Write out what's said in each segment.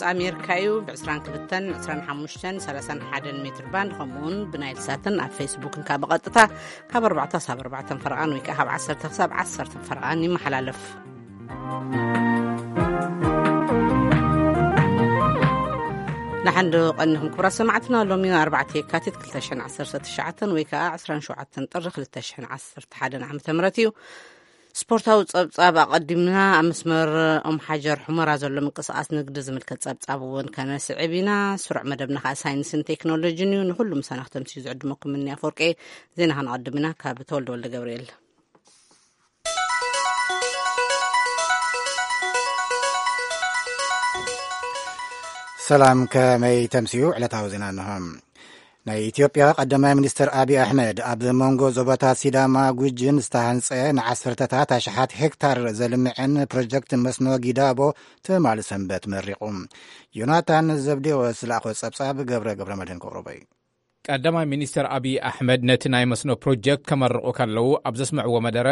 ኣሜሪካ እዩ። ብ22፣ 25፣ 31 ሜትር ባንድ፣ ከምኡውን ብናይል ሳትን ኣብ ፌስቡክን ካብ ቀጥታ ካብ ኣርባዕተ ክሳብ ኣርባዕተ ፈረቓን ወይ ከዓ ካብ ዓሰርተ ክሳብ ዓሰርተ ፈረቓን ይመሓላለፍ። ንሓንዶ ቀኒኹም ክቡራት ሰማዕትና፣ ሎሚ ኣርባዕተ የካቲት ክልተ ሽሕን ዓሰርተ ትሽዓተን ወይ ከዓ ዕስራን ሸውዓተን ጥሪ ክልተ ሽሕን ዓሰርተ ሓደን ዓመተ ምህረት እዩ። ስፖርታዊ ጸብጻብ ኣቐዲምና። ኣብ መስመር ኦም ሓጀር ሑመራ ዘሎ ምንቅስቓስ ንግዲ ዝምልከት ጸብጻብ እውን ከነስዕብ ኢና። ስሩዕ መደብና ከኣ ሳይንስን ቴክኖሎጂን እዩ። ንኹሉ ምሳና ክተምስዩ ዝዕድመኩም እኒ ኣፈወርቂ። ዜና ከነቐድም ኢና ካብ ተወልደ ወልደ ገብርኤል። ሰላም፣ ከመይ ተምስዩ? ዕለታዊ ዜና እንሆ። ናይ ኢትዮጵያ ቀዳማይ ሚኒስትር ኣብይ ኣሕመድ ኣብ መንጎ ዞባታት ሲዳማ ጉጅን ዝተሃንጸ ንዓሰርተታት ኣሽሓት ሄክታር ዘልምዐን ፕሮጀክት መስኖ ጊዳቦ ትማሊ ሰንበት መሪቑ። ዮናታን ዘብዴዎስ ዝለኣኾ ጸብጻብ ገብረ ገብረ መድህን ከቕርቦ እዩ። ቀዳማይ ሚኒስትር ኣብይ ኣሕመድ ነቲ ናይ መስኖ ፕሮጀክት ከመርቑ ከለዉ ኣብ ዘስምዕዎ መደረ፣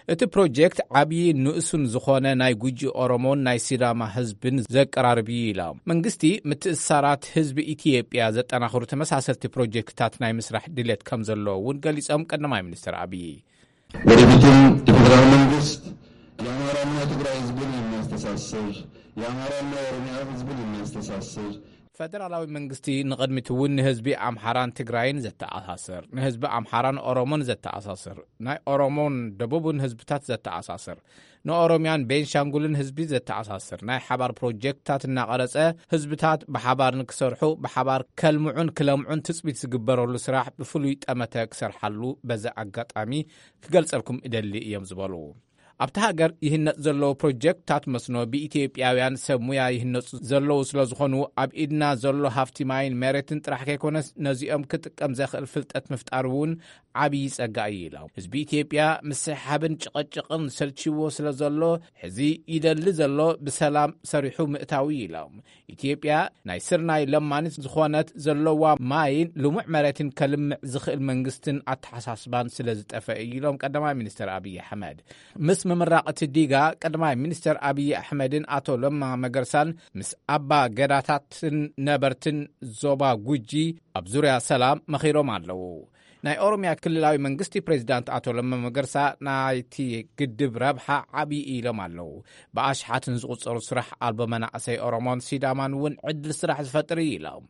እቲ ፕሮጀክት ዓብዪ ንእሱን ዝኾነ ናይ ጉጂ ኦሮሞን ናይ ሲዳማ ህዝብን ዘቀራርብ እዩ ኢሎም። መንግስቲ ምትእስሳራት ህዝቢ ኢትዮጵያ ዘጠናኽሩ ተመሳሰልቲ ፕሮጀክትታት ናይ ምስራሕ ድሌት ከም ዘሎ እውን ገሊጾም ቀዳማይ ሚኒስትር ኣብይ። ወደፊትም የፌዴራል መንግስት የአማራና የትግራይ ህዝብን የሚያስተሳስር፣ የአማራና የኦሮሚያ ህዝብን የሚያስተሳስር፣ ፈደራላዊ መንግስቲ ንቕድሚት እውን ንህዝቢ ኣምሓራን ትግራይን ዘተኣሳስር፣ ንህዝቢ ኣምሓራን ኦሮሞን ዘተኣሳስር፣ ናይ ኦሮሞን ደቡብን ህዝብታት ዘተኣሳስር፣ ንኦሮሚያን ቤንሻንጉልን ህዝቢ ዘተኣሳስር ናይ ሓባር ፕሮጀክትታት እናቐረጸ፣ ህዝብታት ብሓባር ንክሰርሑ፣ ብሓባር ከልምዑን ክለምዑን ትጽቢት ዝግበረሉ ስራሕ ብፍሉይ ጠመተ ክሰርሓሉ በዚ ኣጋጣሚ ክገልጸልኩም እደሊ እዮም ዝበሉ። ኣብቲ ሃገር ይህነጽ ዘለዉ ፕሮጀክትታት መስኖ ብኢትዮጵያውያን ሰብ ሙያ ይህነጹ ዘለዉ ስለ ዝኾኑ፣ ኣብ ኢድና ዘሎ ሃፍቲ ማይን መሬትን ጥራሕ ከይኮነስ፣ ነዚኦም ክጥቀም ዘኽእል ፍልጠት ምፍጣር እውን ዓብዪ ጸጋ እዩ ኢሎም። ህዝቢ ኢትዮጵያ ምስሕሓብን ጭቕጭቕን ሰልችዎ ስለ ዘሎ፣ ሕዚ ይደሊ ዘሎ ብሰላም ሰሪሑ ምእታው እዩ ኢሎም። ኢትዮጵያ ናይ ስርናይ ለማኒት ዝኾነት፣ ዘለዋ ማይን ልሙዕ መሬትን ከልምዕ ዝኽእል መንግስትን ኣተሓሳስባን ስለ ዝጠፈ እዩ ኢሎም ቀዳማይ ሚኒስትር ኣብይ ኣሕመድ። ምስ ምምራቕ እቲ ዲጋ፣ ቀዳማይ ሚኒስትር ኣብይ ኣሕመድን ኣቶ ለማ መገርሳን ምስ ኣባ ገዳታትን ነበርትን ዞባ ጉጂ ኣብ ዙርያ ሰላም መኺሮም ኣለዉ። ናይ ኦሮሚያ ክልላዊ መንግስቲ ፕሬዚዳንት ኣቶ ለማ መገርሳ ናይቲ ግድብ ረብሓ ዓብዪ ኢሎም ኣለዉ። ብኣሽሓትን ዝቑጸሩ ስራሕ ኣልቦ መናእሰይ ኦሮሞን ሲዳማን እውን ዕድል ስራሕ ዝፈጥር እዩ ኢሎም።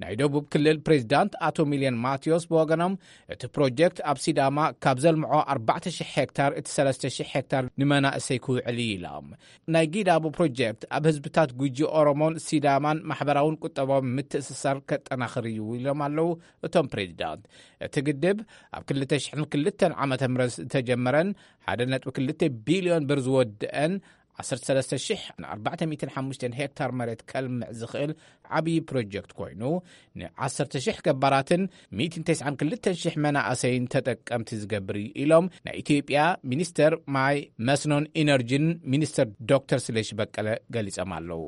ናይ ደቡብ ክልል ፕሬዚዳንት ኣቶ ሚልዮን ማቴዎስ ብወገኖም፣ እቲ ፕሮጀክት ኣብ ሲዳማ ካብ ዘልምዖ ኣርባዕተ ሽሕ ሄክታር፣ እቲ ሰለስተ ሽሕ ሄክታር ንመናእሰይ ክውዕል እዩ ኢሎም። ናይ ጊዳቦ ፕሮጀክት ኣብ ህዝብታት ጉጂ ኦሮሞን ሲዳማን ማሕበራውን ቁጠባውን ምትእስሳር ከጠናኽር እዩ ኢሎም ኣለዉ እቶም ፕሬዚዳንት። እቲ ግድብ ኣብ ክልተ ሽሕን ክልተን ዓመተ ምህረት ዝተጀመረን ሓደ ነጥቢ ክልተ ቢልዮን ብር ዝወድአን ዓሰርተ ሰለስተ ሽሕ ኣርባዕተ ሚእትን ሓሙሽተን ሄክታር መሬት ከልምዕ ዝኽእል ዓብዪ ፕሮጀክት ኮይኑ፣ ን ዓሰርተ ሽሕ ገባራትን ሚእትን ተስዓን ክልተን ሽሕ መናእሰይን ተጠቀምቲ ዝገብር እዩ ኢሎም ናይ ኢትዮጵያ ሚኒስተር ማይ መስኖን ኢነርጂን ሚኒስተር ዶክተር ስለሺ በቀለ ገሊጾም ኣለዉ።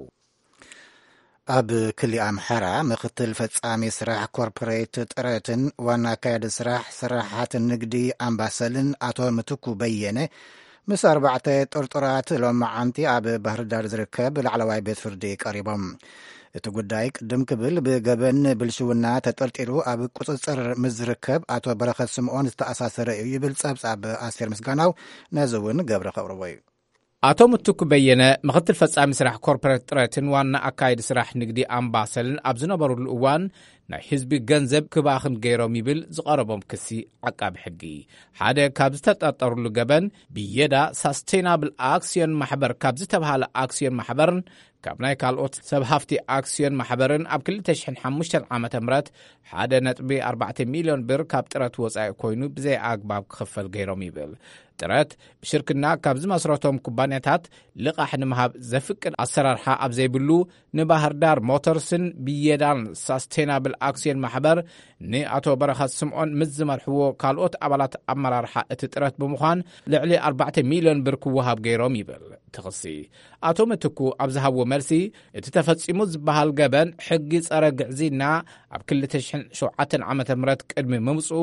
ኣብ ክሊ ኣምሓራ ምክትል ፈጻሚ ስራሕ ኮርፖሬት ጥረትን ዋና ኣካያዲ ስራሕ ስራሓት ንግዲ ኣምባሰልን ኣቶ ምትኩ በየነ ምስ ኣርባዕተ ጥርጡራት ሎማዓንቲ ኣብ ባህርዳር ዝርከብ ላዕለዋይ ቤት ፍርዲ ቀሪቦም። እቲ ጉዳይ ቅድም ክብል ብገበን ብልሽውና ተጠርጢሩ ኣብ ቁጽጽር ምስ ዝርከብ ኣቶ በረኸት ስምኦን ዝተኣሳሰረ እዩ ይብል ጸብጻብ ኣስቴር ምስጋናው። ነዚ እውን ገብረ ከቕርቦ እዩ። ኣቶ ምትኩ በየነ፣ ምክትል ፈጻሚ ስራሕ ኮርፖሬት ጥረትን ዋና ኣካይዲ ስራሕ ንግዲ ኣምባሰልን ኣብ ዝነበሩሉ እዋን፣ ናይ ህዝቢ ገንዘብ ክባኽን ገይሮም ይብል ዝቐረቦም ክሲ ዓቃቢ ሕጊ። ሓደ ካብ ዝተጠርጠሩሉ ገበን፣ ብየዳ ሳስቴናብል ኣክስዮን ማሕበር ካብ ዝተብሃለ ኣክስዮን ማሕበርን ካብ ናይ ካልኦት ሰብ ሃፍቲ ኣክስዮን ማሕበርን ኣብ ክልተ ሽሕን ሓሙሽተን ዓመተ ምህረት ሓደ ነጥቢ ኣርባዕተ ሚልዮን ብር ካብ ጥረት ወጻኢ ኮይኑ ብዘይ ኣግባብ ክኽፈል ገይሮም ይብል። ጥረት ብሽርክና ካብ ዝመስረቶም ኩባንያታት ልቓሕ ንምሃብ ዘፍቅድ ኣሰራርሓ ኣብ ዘይብሉ፣ ንባህር ዳር ሞተርስን ብየዳን ሳስቴናብል ኣክስዮን ማሕበር ንኣቶ በረኸት ስምዖን ምስ ዝመርሕዎ ካልኦት ኣባላት ኣመራርሓ እቲ ጥረት ብምዃን ልዕሊ ኣርባዕተ ሚልዮን ብር ክወሃብ ገይሮም ይብል እቲ ክሲ። ኣቶ ምትኩ ኣብ ዝሃብዎ ቃልሲ፣ እቲ ተፈጺሙ ዝበሃል ገበን ሕጊ ጸረ ግዕዝይና ኣብ ክልተ ሽሕን ሸውዓተን ዓመተ ምህረት ቅድሚ ምምጽኡ፣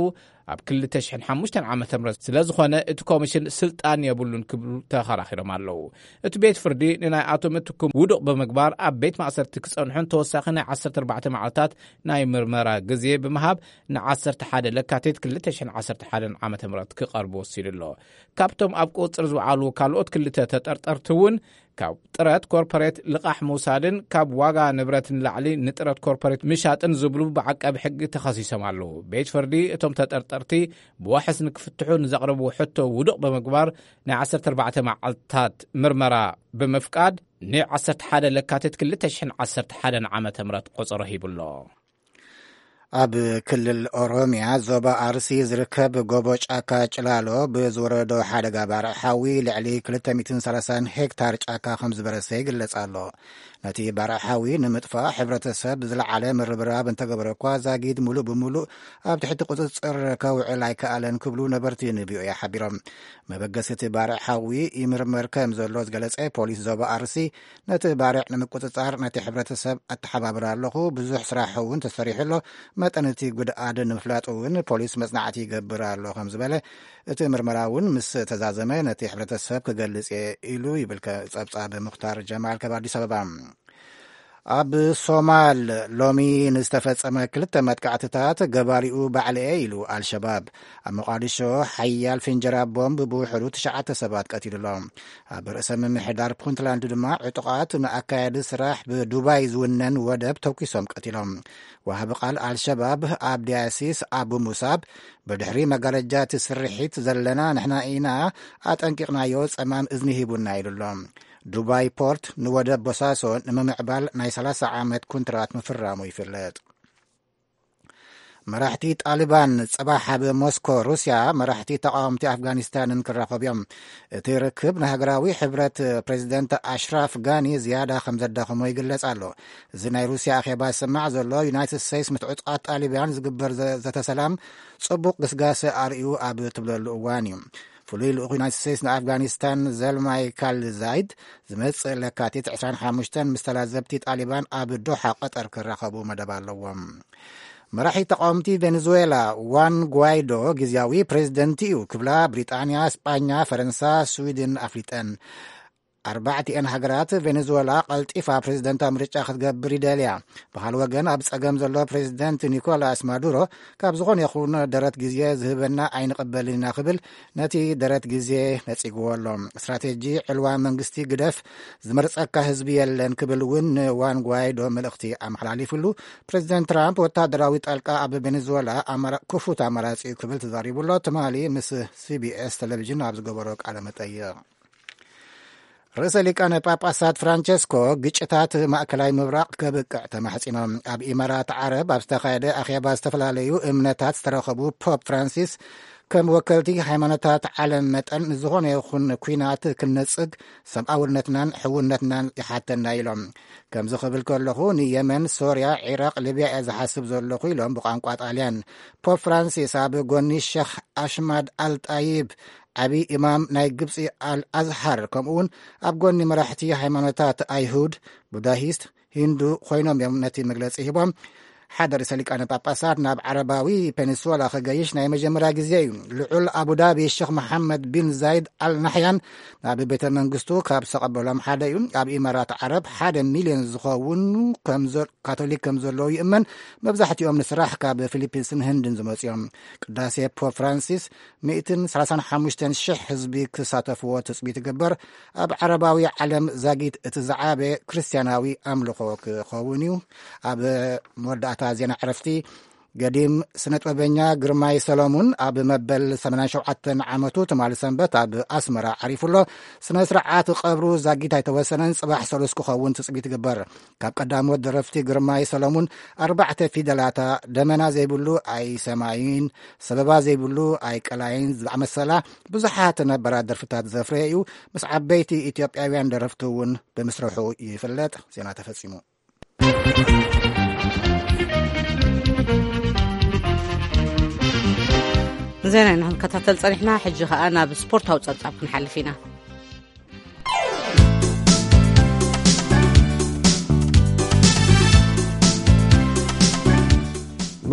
ኣብ ክልተ ሽሕን ሓሙሽተን ዓመተ ምህረት ስለ ዝኾነ፣ እቲ ኮሚሽን ስልጣን የብሉን ክብሉ ተኸራኺሮም ኣለዉ። እቲ ቤት ፍርዲ ንናይ ኣቶ ምትኩ ውዱቕ ብምግባር፣ ኣብ ቤት ማእሰርቲ ክጸንሑን ተወሳኺ ናይ ዓሰርተ ኣርባዕተ መዓልታት ናይ ምርመራ ግዜ ብምሃብ፣ ን ዓሰርተ ሓደ ለካቲት ክልተ ሽሕን ዓሰርተ ሓደን ዓመተ ምህረት ክቐርቡ ወሲኑ ኣሎ። ካብቶም ኣብ ቁጽጽር ዝወዓሉ ካልኦት ክልተ ተጠርጠርቲ እውን፣ ካብ ጥረት ኮርፖሬት ልቓሕ ምውሳድን ካብ ዋጋ ንብረት ንላዕሊ ንጥረት ኮርፖሬት ምሻጥን ዝብሉ ብዓቃቢ ሕጊ ተኸሲሶም ኣለዉ። ቤት ፍርዲ እቶም ተጠርጠርቲ ብዋሕስ ንክፍትሑ ንዘቕረብዎ ሕቶ ውዱቕ ብምግባር፣ ናይ ዓሰርተ ኣርባዕተ መዓልታት ምርመራ ብምፍቃድ፣ ን ዓሰርተ ሓደ ለካቲት ክልተ ሽሕን ዓሰርተ ሓደን ዓመተ ምህረት ቆጸሮ ሂቡ ኣሎ። ኣብ ክልል ኦሮምያ ዞባ ኣርሲ ዝርከብ ጎቦ ጫካ ጭላሎ ብዝወረዶ ሓደጋ ባርዕ ሓዊ ልዕሊ ክልተ ሚእትን ሰላሳን ሄክታር ጫካ ከም ዝበረሰ ይግለጽ ኣሎ። ነቲ ባርዕ ሓዊ ንምጥፋእ ሕብረተሰብ ዝለዓለ ምርብራብ እንተገበረ እኳ፣ ዛጊድ ሙሉእ ብሙሉእ ኣብ ትሕቲ ቁጽጽር ከውዕል ኣይከኣለን ክብሉ ነበርቲ ንቪኦኤ ሓቢሮም። መበገሲ እቲ ባርዕ ሓዊ ይምርመር ከም ዘሎ ዝገለጸ ፖሊስ ዞባ ኣርሲ፣ ነቲ ባርዕ ንምቁጽጻር ነቲ ሕብረተሰብ ኣተሓባብር ኣለኹ፣ ብዙሕ ስራሕ እውን ተሰሪሑ ኣሎ፣ መጠን እቲ ጉድኣት ንምፍላጥ እውን ፖሊስ መጽናዕቲ ይገብር ኣሎ ከም ዝበለ፣ እቲ ምርመራ እውን ምስ ተዛዘመ ነቲ ሕብረተሰብ ክገልጽ እየ ኢሉ ይብል ከ-፣ ጸብጻብ ሙኽታር ጀማል ካብ ኣዲስ ኣበባ። ኣብ ሶማል ሎሚ ንዝተፈጸመ ክልተ መጥቃዕትታት ገባሪኡ ባዕለ እየ ኢሉ ኣልሸባብ። ኣብ ሞቃዲሾ ሓያል ፍንጀራ ቦምብ ብውሕዱ ትሽዓተ ሰባት ቀቲሉ ኣሎ። ኣብ ርእሰ ምምሕዳር ፑንትላንድ ድማ ዕጡቓት ንኣካያዲ ስራሕ ብዱባይ ዝውነን ወደብ ተኩሶም ቀቲሎም። ወሃቢ ቃል ኣልሸባብ ኣብዲ ኣሲስ ኣቡ ሙሳብ፣ ብድሕሪ መጋረጃ እቲ ስርሒት ዘለና ንሕና ኢና ኣጠንቂቕናዮ፣ ጸማም እዝኒ ሂቡና ኢሉ ኣሎ። ዱባይ ፖርት ንወደብ ቦሳሶ ንምምዕባል ናይ ሰላሳ ዓመት ኩንትራት ምፍራሙ ይፍለጥ። መራሕቲ ጣሊባን ጽባሕ ኣብ ሞስኮ ሩስያ መራሕቲ ተቃወምቲ ኣፍጋኒስታንን ክራኸቡ እዮም። እቲ ርክብ ንሃገራዊ ሕብረት ፕሬዚደንት ኣሽራፍ ጋኒ ዝያዳ ከም ዘዳኸሞ ይግለጽ ኣሎ። እዚ ናይ ሩስያ ኣኼባ ዝስማዕ ዘሎ፣ ዩናይትድ ስቴትስ ምስ ዕጡቓት ጣሊባን ዝግበር ዘ-፣ ዘተ ሰላም ጽቡቕ ግስጋሰ ኣርእዩ ኣብ ትብለሉ እዋን እዩ። ፍሉይ ልኡኽ ዩናይትድ ስቴትስ ንኣፍጋኒስታን ዘልማይ ካልዛይድ ዝመጽእ ለካቲት ዕስራን ሓሙሽተን ምስ ተላዘብቲ ጣሊባን ኣብ ዶሓ ቀጠር ክራኸቡ መደብ ኣለዎም። መራሒ ተቃወምቲ ቬኔዙዌላ ዋን ጓይዶ ግዝያዊ ፕሬዝደንት እዩ ክብላ ብሪጣንያ፣ ስጳኛ፣ ፈረንሳ፣ ስዊድን ኣፍሊጠን። ኣርባዕቲኤን ሃገራት ቬኔዙዌላ ቀልጢፋ ፕሬዝደንታዊ ምርጫ ክትገብር ይደልያ። ብኻልእ ወገን ኣብ ጸገም ዘሎ ፕሬዝደንት ኒኮላስ ማዱሮ ካብ ዝኾነ ይኹን ደረት ግዜ ዝህበና ኣይንቕበልን ኢና ክብል ነቲ ደረት ግዜ ነጺግዎ ኣሎ። ስትራቴጂ ዕልዋ መንግስቲ ግደፍ፣ ዝመርጸካ ህዝቢ የለን ክብል እውን ንዋን ጓይዶ መልእኽቲ ኣመሓላሊፉሉ። ፕሬዝደንት ትራምፕ ወታደራዊ ጣልቃ ኣብ ቬኔዙዌላ ኣማራ-፣ ክፉት ኣማራጺ እዩ ክብል ተዛሪቡ ኣሎ። ትማሊ ምስ ሲቢኤስ ቴሌቪዥን ኣብ ዝገበሮ ቃለ መጠይቕ። ርእሰ ሊቃነ ጳጳሳት ፍራንቸስኮ ግጭታት ማእከላይ ምብራቕ ከብቅዕ ተማሕጺኖም። ኣብ ኢማራት ዓረብ ኣብ ዝተኻየደ ኣኼባ ዝተፈላለዩ እምነታት ዝተረኸቡ ፖፕ ፍራንሲስ፣ ከም ወከልቲ ሃይማኖታት ዓለም መጠን ንዝኾነ ይኹን ኲናት ክንነጽግ ሰብኣውነትናን ሕውነትናን ይሓተና ኢሎም። ከምዚ ክብል ከለኹ ንየመን፣ ሶርያ፣ ዒራቕ፣ ሊብያ እየ ዝሓስብ ዘለኹ ኢሎም ብቋንቋ ጣልያን። ፖፕ ፍራንሲስ ኣብ ጎኒ ሸኽ ኣሽማድ ኣልጣይብ፣ ዓቢ ኢማም ናይ ግብጺ ኣል ኣዝሃር፣ ከምኡውን ኣብ ጎኒ መራሕቲ ሃይማኖታት ኣይሁድ፣ ቡዳሂስት፣ ሂንዱ ኮይኖም እዮም ነቲ መግለጺ ሂቦም። ሓደ ርእሰ ሊቃነ ጳጳሳት ናብ ዓረባዊ ፔኒንሱላ ክገይሽ ናይ መጀመርያ ግዜ እዩ። ልዑል ኣቡዳቢ ሸኽ መሓመድ ቢን ዛይድ ኣል ናሕያን ናብ ቤተ መንግስቱ ካብ ዝተቐበሎም ሓደ እዩ። ኣብ ኢማራት ዓረብ ሓደ ሚልዮን ዝኸውን ከም ዘ-፣ ካቶሊክ ከም ዘለዉ ይእመን። መብዛሕትኦም ንስራሕ ካብ ፊሊፒንስን ህንድን ዝመጹ እዮም። ቅዳሴ ፖፕ ፍራንሲስ ሚእትን ሰላሳን ሓሙሽተን ሽሕ ህዝቢ ክሳተፍዎ ትጽቢት ይግበር። ኣብ ዓረባዊ ዓለም ዛጊት እቲ ዝዓበየ ክርስትያናዊ ኣምልኾ ክኸውን እዩ። ኣብ መወዳእታ ዜና ዕረፍቲ፣ ገዲም ስነ ጥበበኛ ግርማይ ሰሎሙን ኣብ መበል ሰማንያን ሸውዓተን ዓመቱ ትማሊ ሰንበት ኣብ ኣስመራ ዓሪፉ ኣሎ። ስነ ስርዓት ቀብሩ ዛጊት ኣይተወሰነን፣ ጽባሕ ሰሉስ ክኸውን ትጽቢት ይግበር። ካብ ቀዳሞት ደረፍቲ ግርማይ ሰሎሙን ኣርባዕተ ፊደላታ፣ ደመና ዘይብሉ ኣይሰማይን፣ ሰበባ ዘይብሉ ኣይቀላይን ዝኣመሰላ ብዙሓት ነባራት ደርፍታት ዘፍረየ እዩ። ምስ ዓበይቲ ኢትዮጵያውያን ደረፍቲ እውን ብምስርሑ ይፍለጥ። ዜና ተፈጺሙ። ዜና ኢና ክንከታተል ጸኒሕና። ሕጂ ኸኣ ናብ ስፖርታዊ ጸብጻብ ክንሓልፍ ኢና።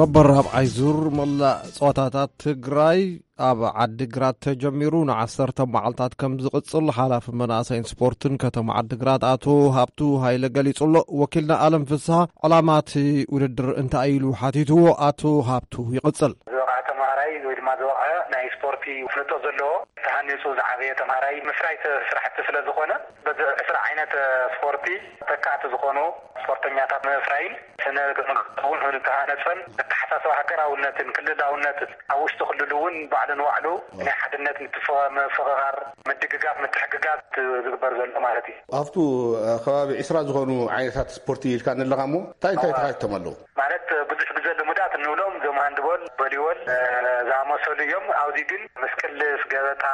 መበል ራብዓይ ዙር መላእ ጸወታታት ትግራይ ኣብ ዓዲግራት ተጀሚሩ ንዓሰርተ መዓልታት ከም ዝቕጽል ሓላፊ መናእሰይን ስፖርትን ከተማ ዓዲግራት ኣቶ ሃብቱ ሃይለ ገሊጹ ኣሎ። ወኪልና ኣለም ፍስሃ ዕላማ እቲ ውድድር እንታይ ኢሉ ሓቲትዎ? ኣቶ ሃብቱ ይቕጽል። ዝወቕዐ ተምሃራይ ወይ ድማ ዝወቕዐ ናይ ስፖርቲ ፍልጦ ዘለዎ ተሃኒፁ ዝዓበየ ተምሃራይ ምፍራይ ስራሕቲ ስለ ዝኾነ በዚ ዕስራ ዓይነት ስፖርቲ ተካእቲ ዝኾኑ ስፖርተኛታት ምፍራይን ስነ ምግባር እውን ንተሃነፀን ኣተሓሳስባ ሃገራውነትን ክልላውነትን ኣብ ውሽጢ ክልሉ እውን ባዕሉ ንባዕሉ ናይ ሓድነት ምትፍ- ምፍቕቓር ምድግጋፍ ምትሕግጋዝ ዝግበር ዘሎ ማለት እዩ። ኣብቱ ከባቢ ዕስራ ዝኾኑ ዓይነታት ስፖርቲ ኢልካ ኣለኻ እሞ እንታይ እንታይ ተኻይቶም ኣለዉ? ማለት ብዙሕ ግዜ ልሙዳት እንብሎም ዞም ሃንድቦል፣ ቮሊቦል ዝኣመሰሉ እዮም። ኣብዚ ግን ምስ ቅልስ፣ ገበጣ፣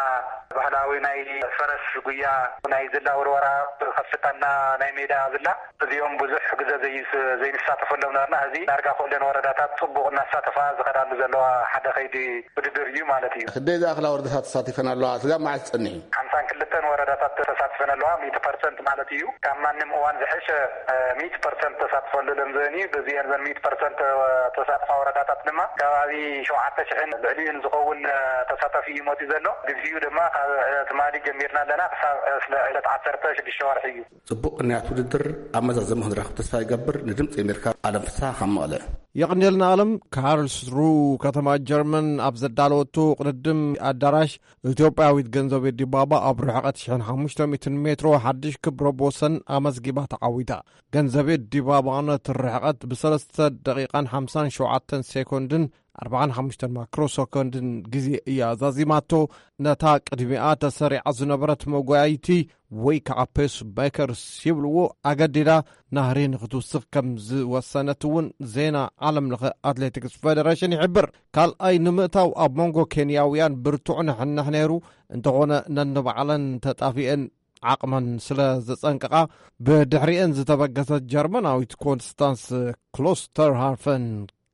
ባህላዊ ናይ ፈረስ ጉያ፣ ናይ ዝላ ውርወራ፣ ከፍታና ናይ ሜዳ ዝላ እዚኦም ብዙሕ ግዜ ዘይንሳተፈሎም ነበርና። እዚ ዳርጋ ኩለን ወረዳታት ፅቡቕ እናሳተፋ ዝኸዳሉ ዘለዋ ሓደ ከይዲ ውድድር እዩ ማለት እዩ። ክደይ ዝኣኽላ ወረዳታት ተሳቲፈን ኣለዋ? ስጋ መዓስ ፀኒሑ? ሓምሳን ክልተን ወረዳታት ተሳትፈን ኣለዋ። ሚእቲ ፐርሰንት ማለት እዩ። ካብ ማንም እዋን ዝሕሸ ሚእቲ ፐርሰንት ተሳትፎ ኣሎ ለምዘን እዩ። በዚአን ዘን ሚእቲ ፐርሰንት ተሳትፋ ወረዳታት ድማ ከባቢ ሸውዓተ ሽሕን ልዕሊኡን ዝኸውን ተሳታፊ እዩ መፂኡ ዘሎ። ግዜኡ ድማ ካብ ትማሊ ጀሚርና ኣለና ክሳብ ዕለት ዓሰርተ ሽዱሽተ ወርሒ እዩ። ጽቡቕ ቅንያት ውድድር ኣብ መዛዘሚ ክንረኽብ ተስፋ ይገብር። ንድምጺ ኣሜሪካ ኣለም ፍስሃ ካብ መቐለ። የቕንየልና ኣለም። ካርልስሩ ከተማ ጀርመን ኣብ ዘዳለወቶ ቅድድም ኣዳራሽ ኢትዮጵያዊት ገንዘቤ ዲባባ ኣብ ርሕቐት ሽሕን ሓሙሽተ ሚእትን ሜትሮ ሓድሽ ክብረ ቦሰን ኣመዝጊባ ተዓዊታ። ገንዘቤ ዲባባ ነቲ ርሕቐት ብሰለስተ ደቂቓን ሓምሳን ሸውዓተን ሴኮንድን ኣርባዓን ሓሙሽተን ማክሮ ሰኮንድን ግዜ እያ ዛዚማቶ። ነታ ቅድሚኣ ተሰሪዓ ዝነበረት መጓይይቲ ወይ ከዓ ፔስ ቤከርስ ይብልዎ ኣገዲዳ ናህሪ ንክትውስኽ ከም ዝወሰነት እውን ዜና ዓለም ለኸ ኣትሌቲክስ ፌደሬሽን ይሕብር። ካልኣይ ንምእታው ኣብ መንጎ ኬንያውያን ብርቱዕ ንሕንሕ ነይሩ። እንተኾነ ነንባዕለን ተጣፊአን ዓቕመን ስለ ዘጸንቀቓ ብድሕሪአን ዝተበገሰት ጀርመናዊት ኮንስታንስ ክሎስተርሃርፈን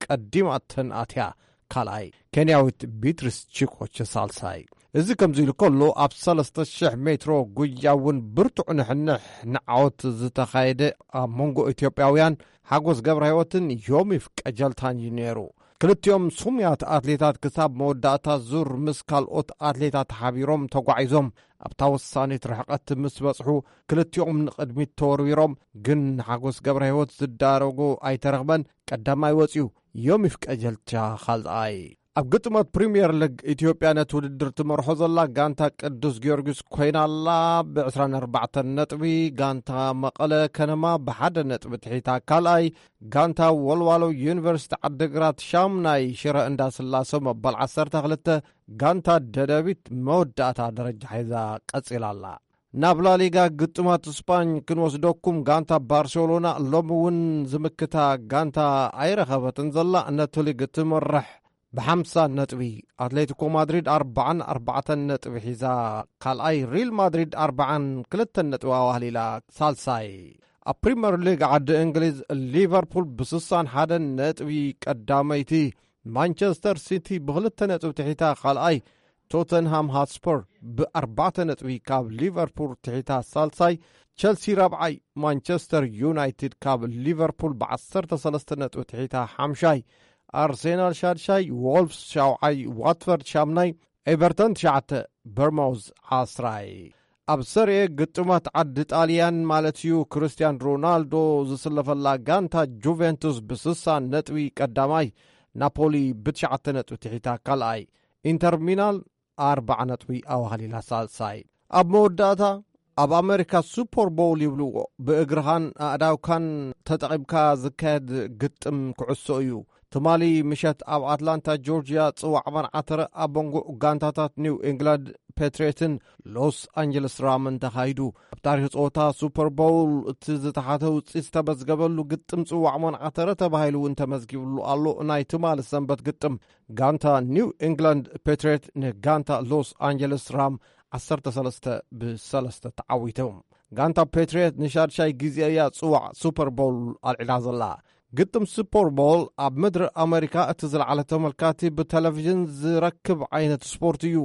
ቀዲማተን ኣትያ ካልኣይ፣ ኬንያዊት ቢትሪስ ቺኮች ሳልሳይ። እዚ ከምዚ ኢሉ ከሎ ኣብ ሰለስተ ሽሕ ሜትሮ ጉያ እውን ብርቱዕ ንሕንሕ ንዓወት ዝተኻየደ ኣብ መንጎ ኢትዮጵያውያን ሓጎስ ገብረ ህይወትን ዮሚፍ ቀጀልታን እዩ ነይሩ። ክልቲኦም ስሙያት ኣትሌታት ክሳብ መወዳእታ ዙር ምስ ካልኦት ኣትሌታት ሓቢሮም ተጓዒዞም ኣብታ ወሳኒት ርሕቐት ምስ በጽሑ ክልቲኦም ንቕድሚት ተወርዊሮም፣ ግን ንሓጎስ ገብረ ህይወት ዝዳረጎ ኣይተረኽበን። ቀዳማይ ወጺኡ ዮሚፍ ቀጀልቻ ካልኣይ። ኣብ ግጥማት ፕሪምየር ሊግ ኢትዮጵያ ነቲ ውድድር ትመርሖ ዘላ ጋንታ ቅዱስ ጊዮርጊስ ኮይና ኣላ ብዕስራን ኣርባዕተን ነጥቢ። ጋንታ መቐለ ከነማ ብሓደ ነጥቢ ትሒታ ካልኣይ። ጋንታ ወልዋሎ ዩኒቨርሲቲ ዓድግራት ሻምናይ ሽረ እንዳስላሰ መበል ዓሰርተ ክልተ። ጋንታ ደደቢት መወዳእታ ደረጃ ሒዛ ቀጺላ ኣላ። ናብ ላሊጋ ግጥማት ስፓኝ ክንወስደኩም፣ ጋንታ ባርሴሎና ሎሚ እውን ዝምክታ ጋንታ ኣይረኸበትን ዘላ። ነቲ ሊግ ትመርሕ ብሓምሳ ነጥቢ፣ ኣትሌቲኮ ማድሪድ ኣርባዓን ኣርባዕተን ነጥቢ ሒዛ ካልኣይ፣ ሪል ማድሪድ ኣርባዓን ክልተን ነጥቢ ኣዋህሊላ ሳልሳይ። ኣብ ፕሪምየር ሊግ ዓዲ እንግሊዝ ሊቨርፑል ብስሳን ሓደን ነጥቢ ቀዳመይቲ፣ ማንቸስተር ሲቲ ብክልተ ነጥቢ ትሒታ ካልኣይ፣ ቶተንሃም ሃትስፐር ብኣርባዕተ ነጥቢ ካብ ሊቨርፑል ትሒታ ሳልሳይ፣ ቸልሲ ራብዓይ፣ ማንቸስተር ዩናይትድ ካብ ሊቨርፑል ብዓሰርተ ሰለስተ ነጥቢ ትሒታ ሓምሻይ፣ ኣርሴናል ሻድሻይ፣ ዎልፍስ ሻውዓይ፣ ዋትፈርድ ሻምናይ፣ ኤቨርተን ትሽዓተ፣ በርማውዝ ዓስራይ። ኣብ ሰሪኤ ግጥማት ዓዲ ጣልያን ማለት እዩ፣ ክርስቲያን ሮናልዶ ዝስለፈላ ጋንታ ጁቬንቱስ ብስሳ ነጥቢ ቀዳማይ፣ ናፖሊ ብትሽዓተ ነጥቢ ትሒታ ካልኣይ፣ ኢንተር ሚላን ኣርባዓ ነጥቢ ኣዋህሊላ ሳልሳይ። ኣብ መወዳእታ ኣብ ኣሜሪካ ሱፐር ቦል ይብልዎ፣ ብእግርኻን ኣእዳውካን ተጠቒምካ ዝካየድ ግጥም ኩዕሶ እዩ። ትማሊ ምሸት ኣብ ኣትላንታ ጆርጅያ ጽዋዕ መርዓ ተረ ኣብ መንጎ ጋንታታት ኒው ኢንግላንድ ፔትሪዮትን ሎስ ኣንጀለስ ራምን ተኻይዱ። ኣብ ታሪኽ ጸወታ ሱፐር ቦል እቲ ዝተሓተ ውጽኢት ዝተመዝገበሉ ግጥም ጽዋዕ መርዓ ተረ ተባሂሉ እውን ተመዝጊብሉ ኣሎ። ናይ ትማሊ ሰንበት ግጥም ጋንታ ኒው ኢንግላንድ ፔትሪዮት ንጋንታ ሎስ ኣንጀለስ ራም ዓሰርተ ሰለስተ ብሰለስተ ተዓዊቶም። ጋንታ ፔትሪዮት ንሻድሻይ ግዜ እያ ጽዋዕ ሱፐር ቦል ኣልዒላ ዘላ። ግጥም ሱፐር ቦል ኣብ ምድሪ ኣሜሪካ እቲ ዝለዓለ ተመልካቲ ብቴሌቪዥን ዝረክብ ዓይነት ስፖርት እዩ።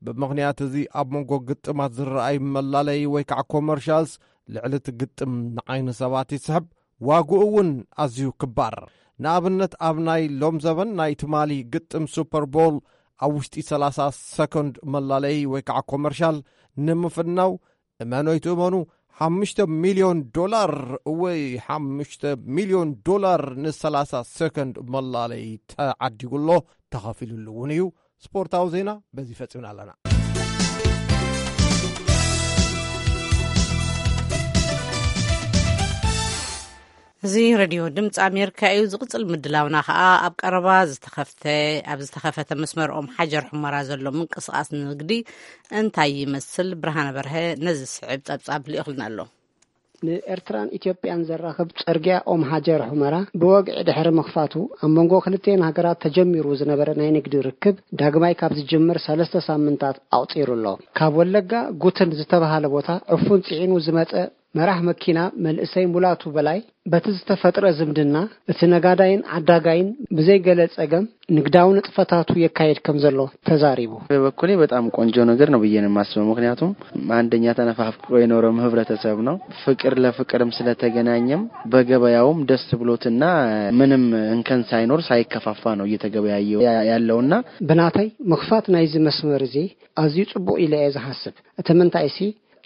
ብምኽንያት እዚ ኣብ መንጎ ግጥማት ዝረኣይ መላለይ ወይ ከዓ ኮመርሻልስ ልዕሊ እቲ ግጥም ንዓይኒ ሰባት ይስሕብ። ዋግኡ እውን ኣዝዩ ክባር። ንኣብነት ኣብ ናይ ሎም ዘበን ናይ ትማሊ ግጥም ሱፐር ቦል ኣብ ውሽጢ ሰላሳ ሰኮንድ መላለይ ወይ ከዓ ኮመርሻል ንምፍናው እመኖይ ትእመኑ ሓሙሽተ ሚልዮን ዶላር ወይ ሓሙሽተ ሚልዮን ዶላር ንሰላሳ ሰኮንድ መላለይ ተዓዲጉ ኣሎ። ተኸፊሉሉ እውን እዩ። ስፖርታዊ ዜና በዚ ፈፂምና ኣለና። እዚ ሬድዮ ድምፂ ኣሜሪካ እዩ። ዝቕፅል ምድላውና ከዓ ኣብ ቀረባ ዝተኸፍተ ኣብ ዝተኸፈተ መስመር ኦም ሓጀር ሑመራ ዘሎ ምንቅስቃስ ንግዲ እንታይ ይመስል? ብርሃነ በርሀ ነዚ ስዕብ ፀብፃብ ልኢኹልና ኣሎ። ንኤርትራን ኢትዮጵያን ዘራኽብ ጽርግያ ኦም ሃጀር ሑመራ ብወግዒ ድሕሪ ምኽፋቱ፣ ኣብ መንጎ ክልቲኤን ሃገራት ተጀሚሩ ዝነበረ ናይ ንግዲ ርክብ ዳግማይ ካብ ዝጅምር ሰለስተ ሳምንታት ኣቑጺሩ ኣሎ። ካብ ወለጋ ጉትን ዝተባህለ ቦታ ዕፉን ጽዒኑ ዝመጸ መራሕ መኪና መንእሰይ ሙላቱ በላይ፣ በቲ ዝተፈጥረ ዝምድና እቲ ነጋዳይን ዓዳጋይን ብዘይ ገለ ጸገም ንግዳዊ ንጥፈታቱ የካይድ ከም ዘሎ ተዛሪቡ። በበኩሌ በጣም ቆንጆ ነገር ነው ብዬ ነው የማስበው። ምክንያቱም አንደኛ ተነፋፍቆ የኖረም ህብረተሰብ ነው። ፍቅር ለፍቅርም ስለተገናኘም በገበያውም ደስ ብሎትና ምንም እንከን ሳይኖር ሳይከፋፋ ነው እየተገበያየ ያለውና ብናተይ ምኽፋት ናይዚ መስመር እዚ ኣዝዩ ጽቡቕ ኢለ እየ ዝሓስብ። እቲ ምንታይሲ